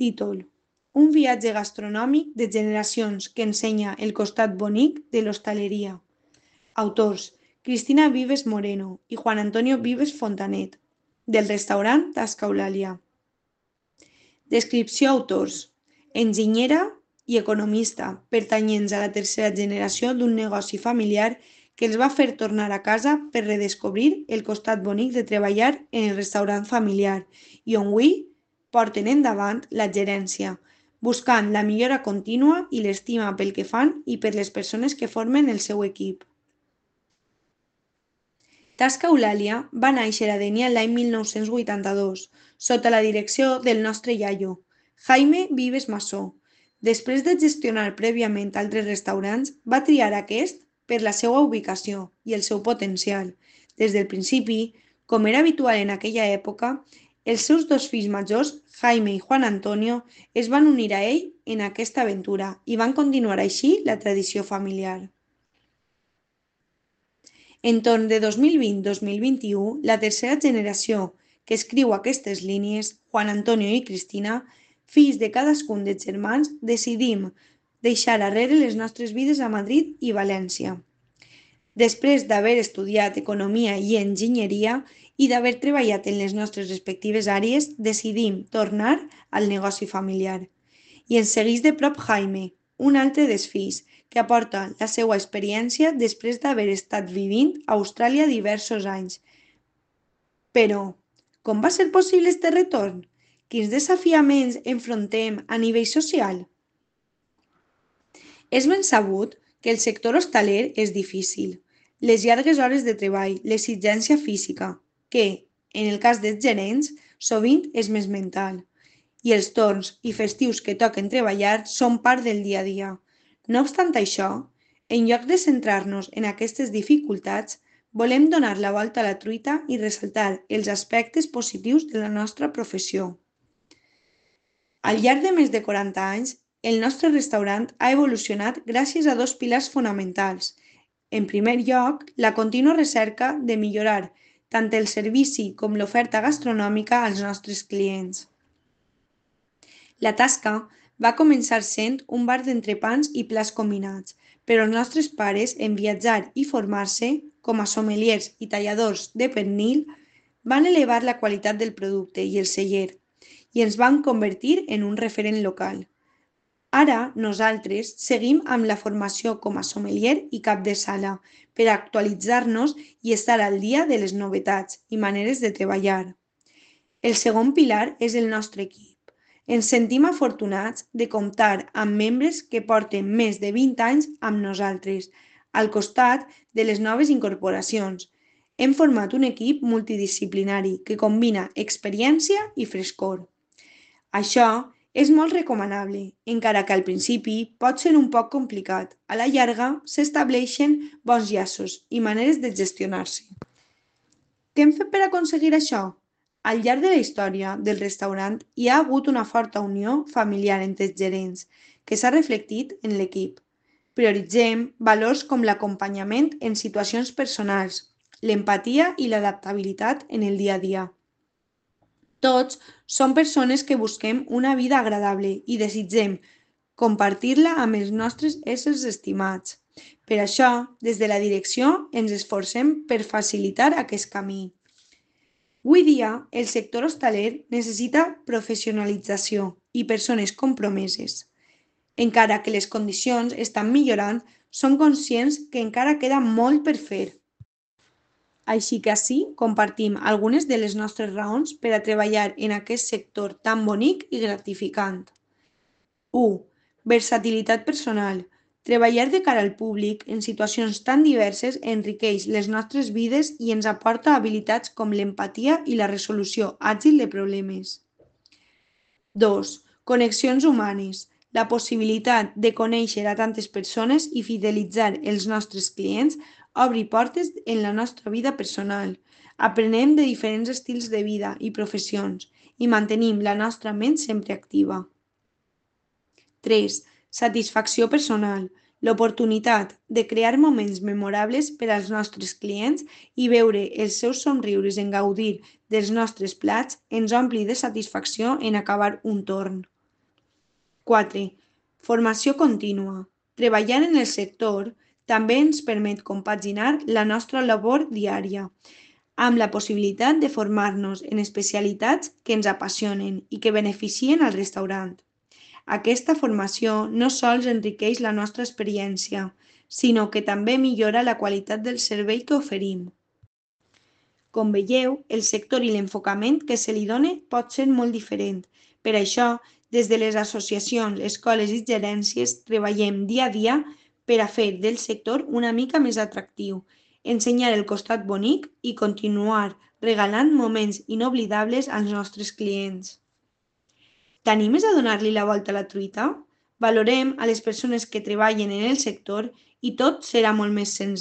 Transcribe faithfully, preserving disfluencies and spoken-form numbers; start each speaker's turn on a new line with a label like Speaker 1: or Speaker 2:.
Speaker 1: Títol: un viatge gastronòmic de generacions que ensenya el costat bonic de l'hostaleria. Autors: Cristina Vives Moreno i Juan Antonio Vives Fontanet, del restaurant Tasca Eulàlia. Descripció autors: enginyera i economista, pertanyents a la tercera generació d'un negoci familiar que els va fer tornar a casa per redescobrir el costat bonic de treballar en el restaurant familiar i on avui porten endavant la gerència, buscant la millora contínua i l'estima pel que fan i per les persones que formen el seu equip. Tasca Eulàlia va néixer a Dénia l'any mil nou-cents vuitanta-dos, sota la direcció del nostre iaio, Jaime Vives Massó. Després de gestionar prèviament altres restaurants, va triar aquest per la seva ubicació i el seu potencial. Des del principi, com era habitual en aquella època, els seus dos fills majors, Jaime i Juan Antonio, es van unir a ell en aquesta aventura i van continuar així la tradició familiar. Entorn de dos mil vint a dos mil vint-i-u, la tercera generació que escriu aquestes línies, Juan Antonio i Cristina, fills de cadascun dels germans, decidim deixar arrere les nostres vides a Madrid i València. Després d'haver estudiat economia i enginyeria i d'haver treballat en les nostres respectives àrees, decidim tornar al negoci familiar. I ens segueix de prop Jaime, un altre dels fills, que aporta la seva experiència després d'haver estat vivint a Austràlia diversos anys. Però, com va ser possible este retorn? Quins desafiaments enfrontem a nivell social? És ben sabut que el sector hostaler és difícil. Les llargues hores de treball, l'exigència física, que, en el cas dels gerents, sovint és més mental, i els torns i festius que toquen treballar són part del dia a dia. No obstant això, en lloc de centrar-nos en aquestes dificultats, volem donar la volta a la truita i ressaltar els aspectes positius de la nostra professió. Al llarg de més de quaranta anys, el nostre restaurant ha evolucionat gràcies a dos pilars fonamentals. En primer lloc, la contínua recerca de millorar tant el servici com l'oferta gastronòmica als nostres clients. La tasca va començar sent un bar d'entrepans i plats combinats, però els nostres pares, en viatjar i formar-se com a sommeliers i talladors de pernil, van elevar la qualitat del producte i el celler i ens van convertir en un referent local. Ara nosaltres seguim amb la formació com a sommelier i cap de sala per actualitzar-nos i estar al dia de les novetats i maneres de treballar. El segon pilar és el nostre equip. Ens sentim afortunats de comptar amb membres que porten més de vint anys amb nosaltres, al costat de les noves incorporacions. Hem format un equip multidisciplinari que combina experiència i frescor. Això és molt recomanable, encara que al principi pot ser un poc complicat. A la llarga s'estableixen bons llaços i maneres de gestionar-se. Què hem fet per aconseguir això? Al llarg de la història del restaurant hi ha hagut una forta unió familiar entre els gerents, que s'ha reflectit en l'equip. Prioritzem valors com l'acompanyament en situacions personals, l'empatia i l'adaptabilitat en el dia a dia. Tots som persones que busquem una vida agradable i desitgem compartir-la amb els nostres éssers estimats. Per això, des de la direcció, ens esforcem per facilitar aquest camí. Avui dia, el sector hostaler necessita professionalització i persones compromeses. Encara que les condicions estan millorant, som conscients que encara queda molt per fer. Així que ací compartim algunes de les nostres raons per a treballar en aquest sector tan bonic i gratificant. u. Versatilitat personal. Treballar de cara al públic en situacions tan diverses enriqueix les nostres vides i ens aporta habilitats com l'empatia i la resolució àgil de problemes. dos. Connexions humanes. La possibilitat de conèixer a tantes persones i fidelitzar els nostres clients obre portes en la nostra vida personal. Aprenem de diferents estils de vida i professions i mantenim la nostra ment sempre activa. tres. Satisfacció personal. L'oportunitat de crear moments memorables per als nostres clients i veure els seus somriures en gaudir dels nostres plats ens ompli de satisfacció en acabar un torn. quatre. Formació contínua. Treballar en el sector també ens permet compaginar la nostra labor diària amb la possibilitat de formar-nos en especialitats que ens apassionen i que beneficien al restaurant. Aquesta formació no sols enriqueix la nostra experiència, sinó que també millora la qualitat del servei que oferim. Com veieu, el sector i l'enfocament que se li dona pot ser molt diferent. Per això, des de les associacions, escoles i gerències treballem dia a dia per a fer del sector una mica més atractiu, ensenyar el costat bonic i continuar regalant moments inoblidables als nostres clients. T'animes a donar-li la volta a la truita? Valorem a les persones que treballen en el sector i tot serà molt més senzill.